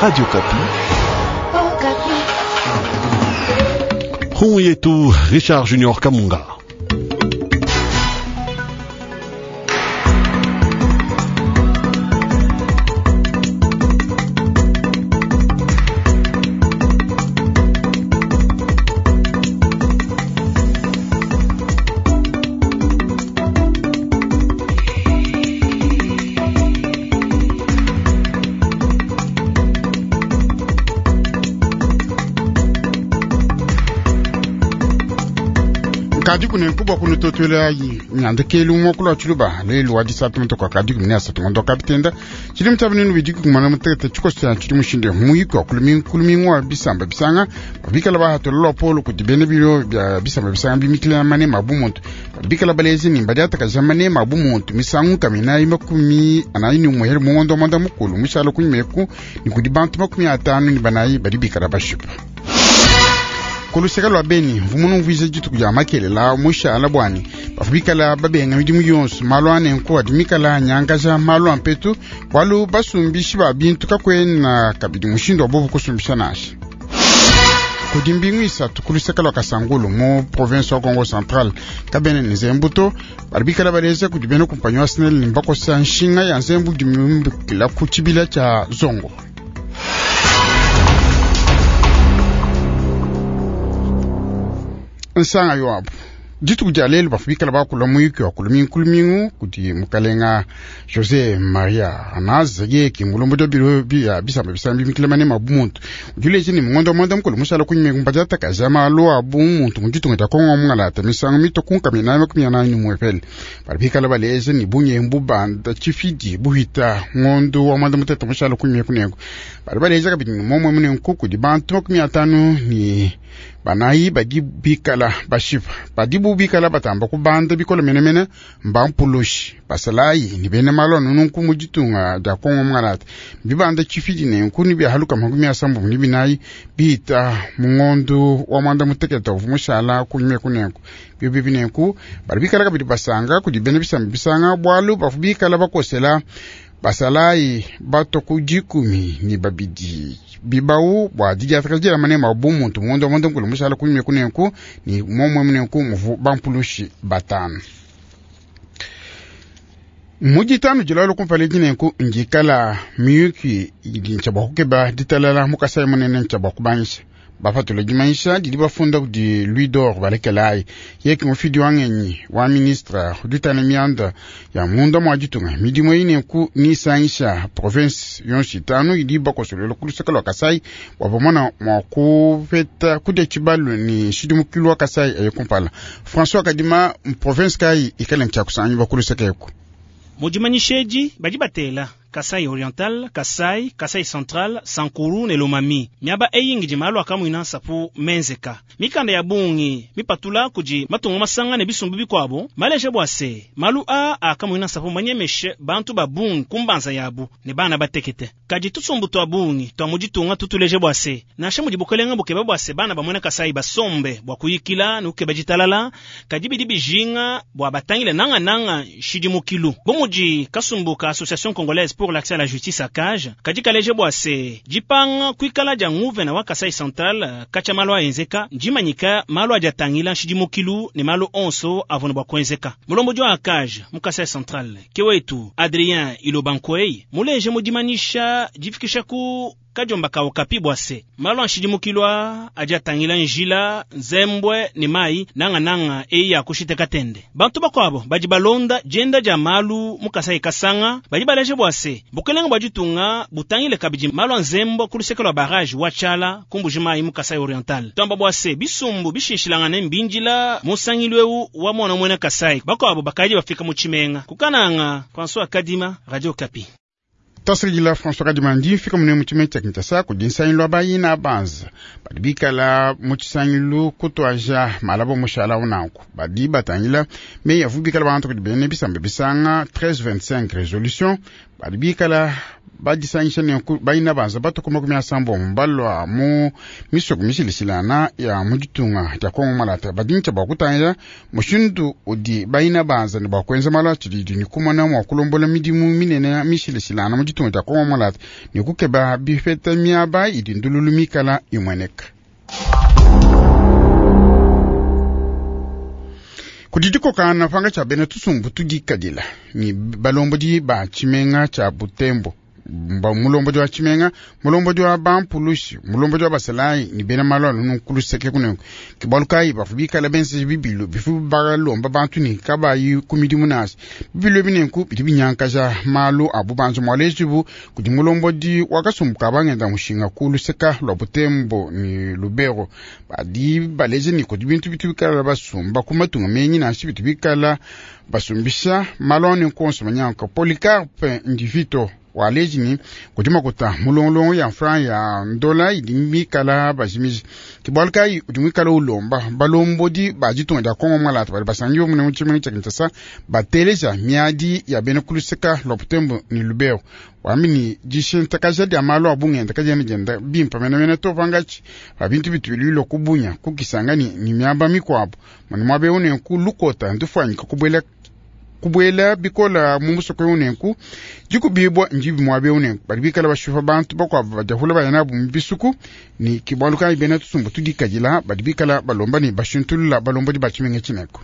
Radio Kapi. Huu yetu Richard Junior Kamunga. Kadi kune kubwa kunutotwelayi nyandekelu mokolo wa tshiluba lelu wa disatu mutoka kadi kumene asatu ngondo kapitenda tshili mutaba nenu bidi kumana mutekete tshikosa tshili mushinde muyiko kulumingu wa bisamba bisanga babikala bahatola lwapolo kudi bene bilo bya bisamba bisanga bimikila mane mabu muntu babikala balezi ni mbadi atakaja mane mabu muntu misangu kaminayi 44 ni umuheri mungondo wa mwanda mukulu mushala kunyimeku ni kudi bantu 54 badi bikala bashipa kuluseka lwa beni mvumunu mvuiza dituku dia makelela mushala bwani bafu bikala babenga midimu yonso malu anenku adi mikala anyangaja malu ampetu bualu basumbishi ba bintu kakwena kabidi mushindu wa bobu kusumbisha nasha kudi mbingu isatu kuluseka lwa kasangulu mu province wa Kongo Central kabene ni nzembu bali bikala baleza kudi bena kumpanyi wa SNEL ni mbakosa nshinga ya nzembu dimimbukila ku tshibila tshia zongo. Nsanga yoabu dituku dia lelu bafu bikala bakula muyuki wa kulumingu kulumingu kudi mukalenga José Maria Arnaz yeki mulombo dia biro bia bisamba bisamba bimikila mane mabu muntu udileje ni mungondo mwanda mukulu mushala kunyime kumbajata kaja malu abu muntu muditunga dia Kongo mungalata misangu mito kunkamina 41 bali bikala baleje ni bunyembu banda tshifidi buhita ngondo wa mwanda mutete mushala kunyime kunengo bali baleje kabidi ni momwe munenku kudi bantu 54 badi bikala bashipa badibu bikala batamba kubanda bikola menemene mbampulushi basalayi ni bene malo nunku muditunga dia Kongo mungalata bibanda tshifidi nenku ni byahaluka 74 bita mungondo wa mwanda muteketa uvu mushala kunyime kunenku biobi binenku bali bikala kabidi basanga kudi bene bisamba bisanga bualu bafu bikala bakosela basalayi bato ku 12 bibau bua didiataka manema bu muntu mungondo wa mwanda mukulu mushala kunyime kunenku ni momwe munenku muvu bampulushi 5 mujitanu jilalo kumpala dinenku ngikala miyuki idi ntshia bua kukeba ditalala mukasai munene ntshia bua kubanyisha bapatula dimanyisha didi bafunda kudi Louis d'Or balekelayi yeki mufidi wa ngenyi wa ministre uditana mianda ya munda mwa ditunga midimu eyi nenku nisangisha province yonso itanu idi bakosolela kuluseka lwa Kasai bua bamona mua kupeta kudia tshibalu ni nshidimukilu wa Kasai aye kumpala François Kadima province kayi ikale ntshia kusangi bakuluseka eku mujimanyisheji badi batela Kasai Oriental, Kasai, Kasai Central, Sankuru ne Lomami. Miaba eyi ngidi malu akamuina nsapu menzeka. Mikanda ya bungi mipatula kudi matunga masanga ne bisumbu bikuabo maleje bua se malu a akamuina nsapu manyemeshe bantu ba bungi kumbanza yabu ne bana batekete. Kadi tusumbu twa bungi twa muditunga tutuleje bua se nansha mudi bukelenga bukeba bua se bana bamwena Kasai basombe bua kuyikila ne kukeba ditalala kadi bidi bijinga bua batangile nanga nanga nshidimukilu. Bu mudi kasumbu ka Association Congolaise pour l'accès à la justice à cage kadi kaleje bua se dipanga kuikala dia nguvena wa Kasai Central katshia malu aenzeka ndimanyika malu adi atangila nshidimukilu ne malu onso avua ne bua kuenzeka. Mulombodi wa ACAJ mu Kasai Central ke wetu Adrien Ilobankwei muleje mudimanyisha difikisha ku kadiomba kawo kapi bua se malu a nshidimukilu adi atangila njila nzembwe ne mai nanga-nanga eyi ya kushiteka tende. Bantu bakuabo badi balonda dienda dia malu mu Kasai Kasanga badi baleje bua se bukelenga bua ditunga butangile kabidi malu a nzembo ku luseke lua barrage wa Tshala kumbuji mai mu Kasai Oriental. Twamba bua se bisumbu bishishilangane mbindila musangilu ewu wa mwana mwena Kasai bakuabo bakadi bafika mu tshimenga kukananga François Kadima, Radio Kapi. Tasirigila François Kadima ndi mfika mune mu tshimenga tshia Kinshasa kudi nsangilu wa bayina banza badi bikala mu tshisangilu kutwaja malabo mushala unanku badi batangila meyi avu bikala bantu kudi bene bisamba bisanga 1325 resolution. Badi bikala badisangisha nenku baina banza batuku 30 balwa mu misoko mishilishilana ya mu ditunga dia Kongo Malata. Badi ntsha bua kutangila mushindu udi baina banza ne bua kuenza malu a tshididi ne kumona mua kulombola midimu minene mishilishilana mu ditunga dia Kongo Malata ne kukeba bipeta miaba idi ndululu mikala imueneka. Kudi dikokana panga tshia bena tusumbu tudikadila ni balombodi ba tshimenga tshia Butembo, mulombodi wa tshimenga, mulombodi wa bampulushi, mulombodi wa basalayi ni bena malu anu kuluseke kunenku. Ke bualu kayi bavua bikala benzeja bibilu bivua balomba bantu ne kabayi ku midimu nansha. Bibilu ebi nenku bidi binyankaja malu a bubanji mualejibu kudi mulombodi wa kasumbu ka bangenda mushinga ku luseka lua Butembo ni Lubero. Badi baleja ni kudi bintu bitu bikala basumba ku matunga menyi nansha bitu bikala basumbisha malu anu konso manyanka. Polycarpe Ndivito waleji ni kudi makuta mulongolongo ya franc ya ndola idi mikala bajimiji. Ke bualu kayi udi muikala ulomba balombodi ba ditunga dia Kongo Malata badi basangiwe mune mu tshimenga tshia Kinshasa bateleja miadi ya bena kuluseka lua Butembo ni Lubero. Wambi ni dishintakaja dia malu a bungenda kadiena dienda bimpe menemene to pangatshi pa bintu bitu bilwilwa kubunya kukisanga ni miaba mikuabu. Mune muaba eu nenku lukota ndufuanyika kubuela bikola mu musoko eu nenku dikubibwa ndibi muaba eu nenku badi bikala bashipa bantu bakuabu badiahula baya nabu mu bisuku. Ni ke bualu kayi bena tusumbu tudikadila badi bikala balomba ne bashintulula balombodi ba tshimenga tshineko.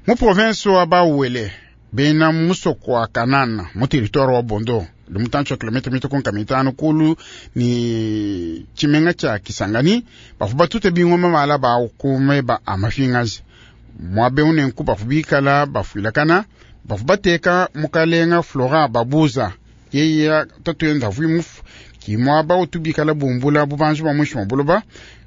Mu province wa Bauele bena musoko wa Kanana mu territoire wa Bondo udi mutantshi wa kilomètre mito konka mitano kulu ni tshimenga tshia Kisangani bavua batute bingoma mala ba kumeba a mafingaji. Muaba eu nenku bavua bikala bafuilakana bavua bateka mukalenga Flora Babuza yeye tatuenda avui mufu ki muaba utu bikala bumbula bubanji bua muinshi mua buloba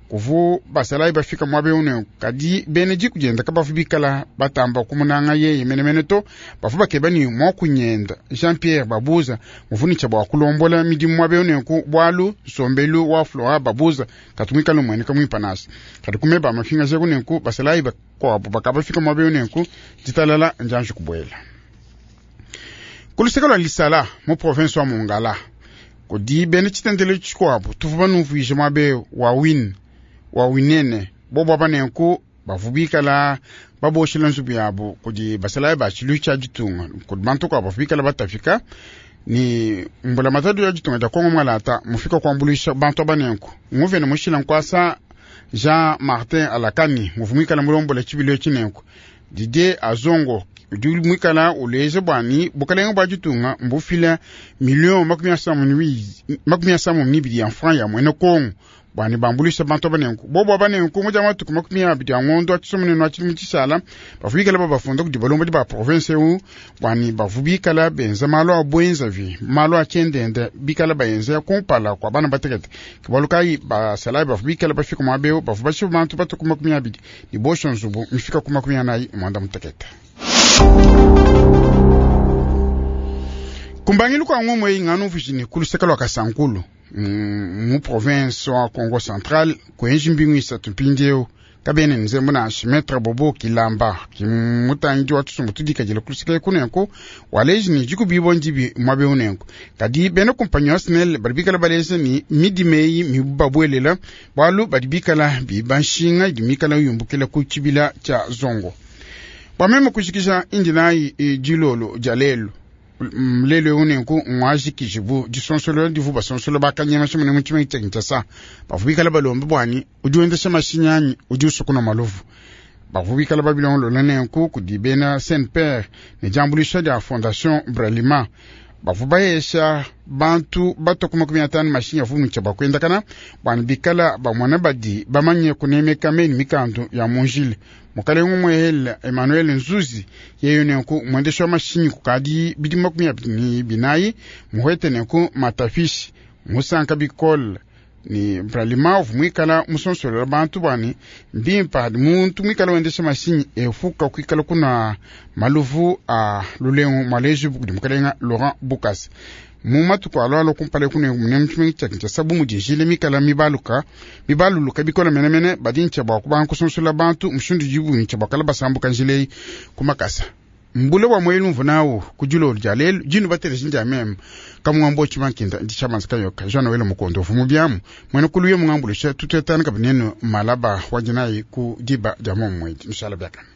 kuvu basalayi bafika muaba eu nenku. Kadi bena diku dienda kabavu bikala batamba kumunanga yeye menemene to bavua bakeba ni muakunyenda Jean Pierre Babuza muvunisha bua kulombola midimu muaba eu nenku bualu nsombelu wa Flora Babuza katumikala mueneka muimpe nansha. Kadi kumeba mafinga jeku nenku basalayi bakuabu bakabafika muaba eu nenku ditalala njanji kubuela. Kuluseka lua Lisala mu province wa Mongala kudi bena tshitendelo tshikuabu tuvua banumvuije muaba eu wa win wa winene bobo aba nenku bavua bikala baboshela nzubu yabu kudi basalayi ba tshilu tshia ditunga kudi bantu kuabu bavua bikala batafika ni mbula matatu ya ditunga dia Kongo Malata mufika kuambuluisha bantu aba nenku. Nguvene mushila nkwasa Jean Martin Alakani muvua muikala mulombola tshibilu etshi nenku. Didier Azongo udi muikala uleja bwani bukalenga bua ditunga mbufila million 32 ya franc ya mwene Kongo bwani bambulisha bantu aba nenku. Bobo aba nenku mudia matuku 20 a ngondo a tshisomunenu a tshidimu tshishala bavua bikala babafunda kudi balombodi ba province eu bwani bavua bikala benza malu a buenzavi malu a tshiendenda bikala bayenza kumpala kua bana batekete. Ke bualu kayi basalayi bavua bikala bafika muaba eu bavua bashipa bantu batuku 20 ne bosha nzubu mifika ku 48. Kumbangilu kwa ngomwe ingano vijini kuluseka lwa Kasankulu mu province wa Kongo Central kwenji mbingu isatu mpindieu kabene nzembo nansha Maître Bobo Kilamba kimutangi wa tusumbu tudikadila kuluseka kunenku waleji ni dikubibo ndibi muaba eu nenku. Kadi bena kumpanyi wa SNEL badi bikala baleja ni midimeyi mibabuelela bualu badi bikala biba nshinga idi mikala yumbukila ku tshibila tshia Zongo. Bua meme kujikija indinayi dilolo dia lelu lelo eu nenku ngwajikijibu disonsolo divu basonsolo bakanyema tshimune mu tshimenga tshia Kinshasa bavua bikala balombe bwani udi wendesha mashinyi anyi udi usukuna maluvu. Bavua bikala babilongolola nenku kudi bena Saint-Père ne diambuluisha dia Fondation Bralima bavua bayesha bantu batoku 50 mashinyi avua mutshia bua kuendakana bwani bikala bamona badi bamanye kunemeka meni mikandu ya munjile. Mukalenga Mwehela Emmanuel Nzuzi yeyo nenku mwendesha wa mashinyi kukadi bidimu 24 muhwete nenku matafishi musanka bikola ni Bralima uvua muikala musonsolela bantu bwani mbimpa hadi muntu muikala wendesha mashinyi efuka kuikala kuna maluvu a lulengu mwaleji kudi mukalenga Laurent Bukasa. Mu matuku alo kumpala kunenku mune mu tshimenga tshia Kinshasa bu mudi njila mikala mibaluluka bikola menemene badi ntshia bua kubanga kusonsola bantu mushindu dibu ntshia bua kala basambuka njila eyi ku makasa. Mbule wa mwelu mvunau ku dilolo dia lelu dinu bateleji ndia meme kamungambo tshimankinda ndi tshamanza kayoka Jean Noel Mukondo uvu biamu mwena kuluye mungambulusha tutetana kabinenu malaba wajinayi ku diba dia momwedi nushala biakana.